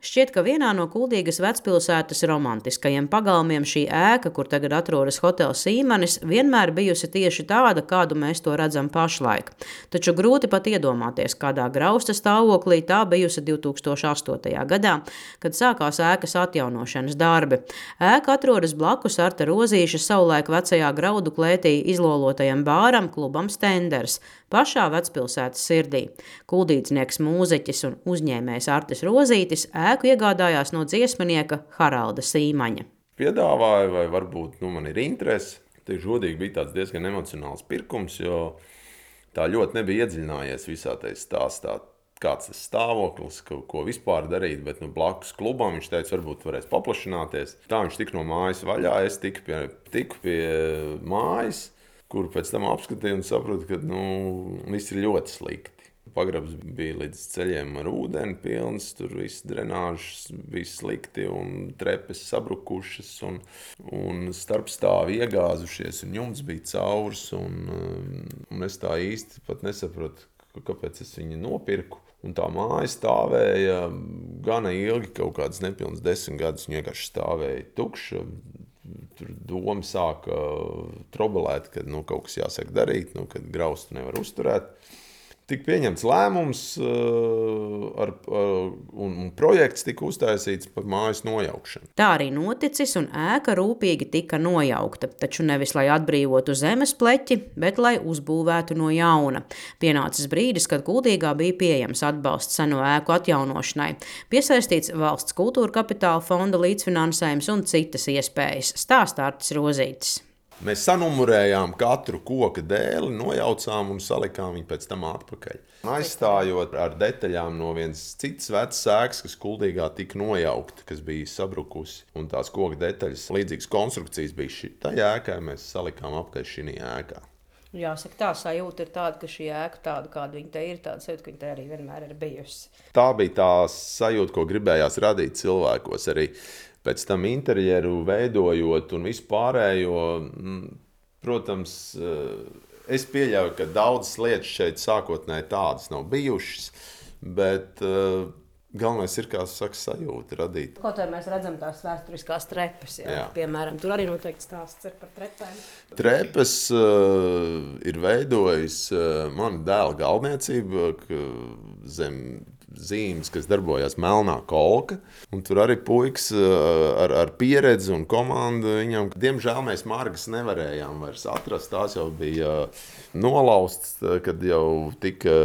Šķiet, ka vienā no Kuldīgas vecpilsētas romantiskajiem pagalmiem šī ēka, kur tagad atrodas hotels Sīmanis, vienmēr bijusi tieši tāda, kādu mēs to redzam pašlaik. Taču grūti pat iedomāties, kādā grausta stāvoklī tā bijusi 2008. gadā, kad sākās ēkas atjaunošanas darbi. Ēka atrodas blakus Arta Rozīša savulaik vecajā graudu klētī izlolotajam bāram klubam Stenders, pašā vecpilsētas sirdī. Kuldīdznieks, mūziķis un uzņēmējs Artis Rozītis ēku iegādājās no dziesminieka Haralda Sīmaņa. Piedāvāja, vai varbūt man ir interese. Tieši godīgi bija tāds diezgan emocionāls pirkums, jo tā ļoti nebija iedziļinājies visā tajā stāstā, kāds tas stāvoklis, ko vispār darīt, bet blakus klubam viņš teica, varbūt varēs paplašināties. Tā viņš tika no mājas vaļā, es tiku pie mājas, kuru pēc tam apskatīju un sapratu, ka viss ir ļoti slikti. Pagrabs bija līdz ceļiem ar ūdeni pilns, tur viss drenāžas bija slikti un trepes sabrukušas un starpstāvi iegāzušies un jumts bija caurs un es tā īsti pat nesapratu, kāpēc es viņu nopirku. Un tā māja stāvēja gana ilgi, kaut kādas nepilnas 10 gadus, un vienkārši stāvēja tukša. Tur doma sāka trobelēt, kad kaut kas jāsāk darīt, kad graustu nevar uzturēt. Tika pieņemts lēmums un projekts tika uztaisīts par mājas nojaukšanu. Tā arī noticis un ēka rūpīgi tika nojaukta, taču nevis lai atbrīvotu zemes pleķi, bet lai uzbūvētu no jauna. Pienācis brīdis, kad Kuldīgā bija pieejams atbalsts seno ēku atjaunošanai, piesaistīts valsts kultūra kapitāla fonda līdzfinansējums un citas iespējas, stāsta Artis Rozītis. Mēs sanumurējām katru koka dēli, nojaucām un salikām viņu pēc tam atpakaļ. Aizstājot ar detaļām no vienas citas vecas ēkas, kas Kuldīgā tika nojaukta, kas bija sabrukusi. Un tās koka detaļas, līdzīgas konstrukcijas bija šitā ēkā, mēs salikām apakaļ šī ēkā. Jāsaka, tā sajūta ir tāda, ka šī ēka tāda, kāda viņa te ir, tāda sajūta, ka viņa te arī vienmēr ir bijusi. Tā bija tā sajūta, ko gribējās radīt cilvēkos arī. Pēc tam interjeru veidojot un vispārējo, protams, es pieļauju, ka daudzas lietas šeit sākotnēji tādas nav bijušas, bet galvenais ir, kā saka, sajūta radīt. Kaut vai mēs redzam tās vēsturiskās trepes, jā. Piemēram, tur arī noteikti stāsts ir par trepēm. Trepes ir veidojis mana dēla galdniecība zem zīmes, kas darbojās Melnā kolka. Un tur arī puikas ar pieredzi un komandu viņam. Diemžēl mēs margas nevarējām vairs atrast. Tās jau bija nolaustas, kad jau tika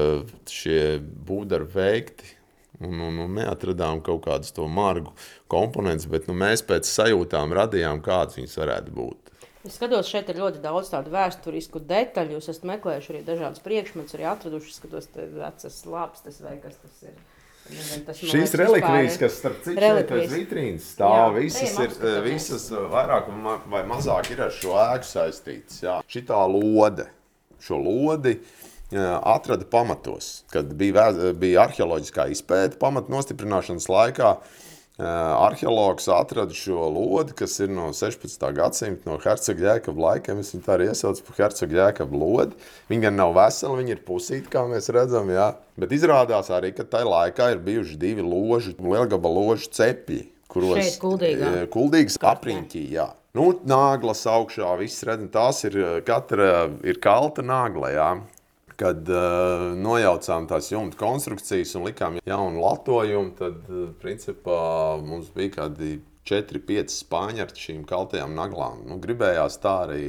šie būvdarbi veikti. Un neatradām kaut kādus to margu komponentus, bet mēs pēc sajūtām radījām, kādas viņas varētu būt. Es skatos, šeit ir ļoti daudz tādu vēsturisku detaļu. Jūs esat meklējuši arī dažādas priekšmetus, arī atraduši, skatos, vecas lāpstas vai kas tas ir. Šīs relikvijas, kas starp citu šeit aiz vitrīnas stāv, visas vairāk vai mazāk ir ar šo ēku saistītas. Jā. Šitā lode, šo lodi atrada pamatos, kad bija arheoloģiskā izpēta pamatu nostiprināšanas laikā. Arheologs atrada šo lodi, kas ir no 16. gadsimta, no Hercoga Jēkaba laikiem. Es viņu tā arī iesaucu par Hercoga Jēkaba lodi. Viņa gan nav vesela, viņa ir pusīta, kā mēs redzam, jā. Bet izrādās arī, ka tajā laikā ir bijuši 2 ložu, lielgabala ložu cepļi, kuros šeit Kuldīgā. Kuldīgas apriņķī, jā. Nāglas augšā, viss redzam, tās katra ir kalta nāgla, jā. Kad nojaucām tās jumta konstrukcijas un likām jaunu latojumu, tad, principā, mums bija kādi 4-5 spāņi ar šīm kaltajām naglām. Gribējās tā arī,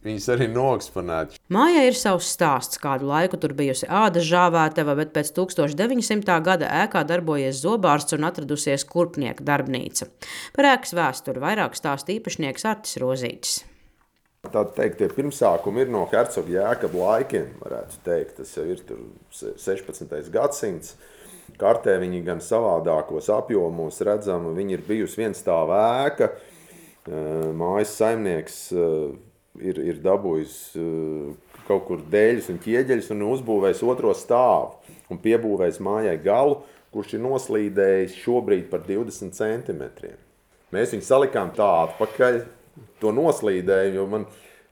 viņas arī noeksponēt. Mājai ir savs stāsts, kādu laiku tur bijusi ādas žāvētava, bet pēc 1900. gada ēkā darbojies zobārsts un atradusies kurpnieka darbnīca. Par ēkas vēsturi vairāk stāsta īpašnieks Artis Rozītis. Tā teikt, tie pirmsākumi ir no Hercoga Jēkaba laikiem, varētu teikt. Tas jau ir tur 16. gadsimts. Kartē viņi gan savādākos apjomos redzama. Viņi ir bijusi vienstāva ēka. Mājas saimnieks ir dabūjis kaut kur dēļus un ķieģeļus un uzbūvējis otro stāvu. Un piebūvējis mājai galu, kurš ir noslīdējis šobrīd par 20 centimetriem. Mēs viņu salikām tā atpakaļ. To noslīdēju, jo man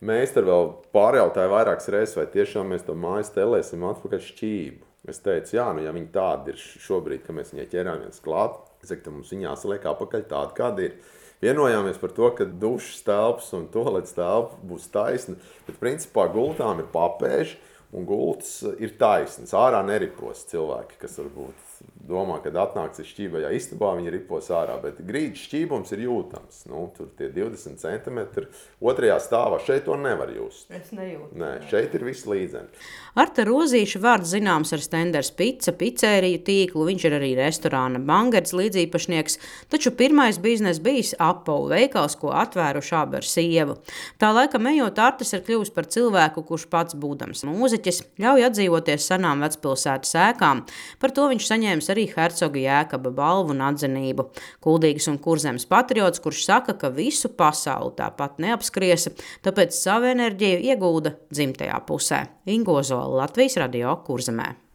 meistari vēl pārjautāja vairākas reizes, vai tiešām mēs to māju stelēsim atpakaļ šķību. Es teicu, jā, ja viņi tādi ir šobrīd, ka mēs viņai ķerāmies klāt, Es saku, mums viņa jāsaliek apakaļ tāda, kāda ir. Vienojāmies par to, ka dušas telpas un toaletes telpa būs taisna, bet principā gultām ir papēži un gultas ir taisnas. Ārā neripos cilvēki, kas varbūt domā, kad atnāks šķībajā istabā, viņi ripos ārā, bet grīdas šķībums ir jūtams. Tur tie 20 centimetri otrajā stāvā, šeit to nevar just. Es nejūtu. Nē, šeit ir viss līdzeni. Arta Rozīša vārds zināms ar Stenders Pica, picēriju tīklu, viņš ir arī restorāna Bangerts līdzīpašnieks, taču pirmais biznes bijis apavu veikals, ko atvēruši abi ar sievu. Tā laikam ejot, Artis ir kļuvis par cilvēku, kurš pats būdams mūziķis, ļauj atdzīvoties senām vecpilsētas ēkām. Par to viņš saņēmis arī Hercoga Jēkaba balvu un atzinību. Kuldīgas un Kurzemes patriots, kurš saka, ka visu pasauli tāpat neapskriesa, tāpēc savu enerģiju iegulda dzimtajā pusē. Ingo Zola, Latvijas Radio, Kurzemē.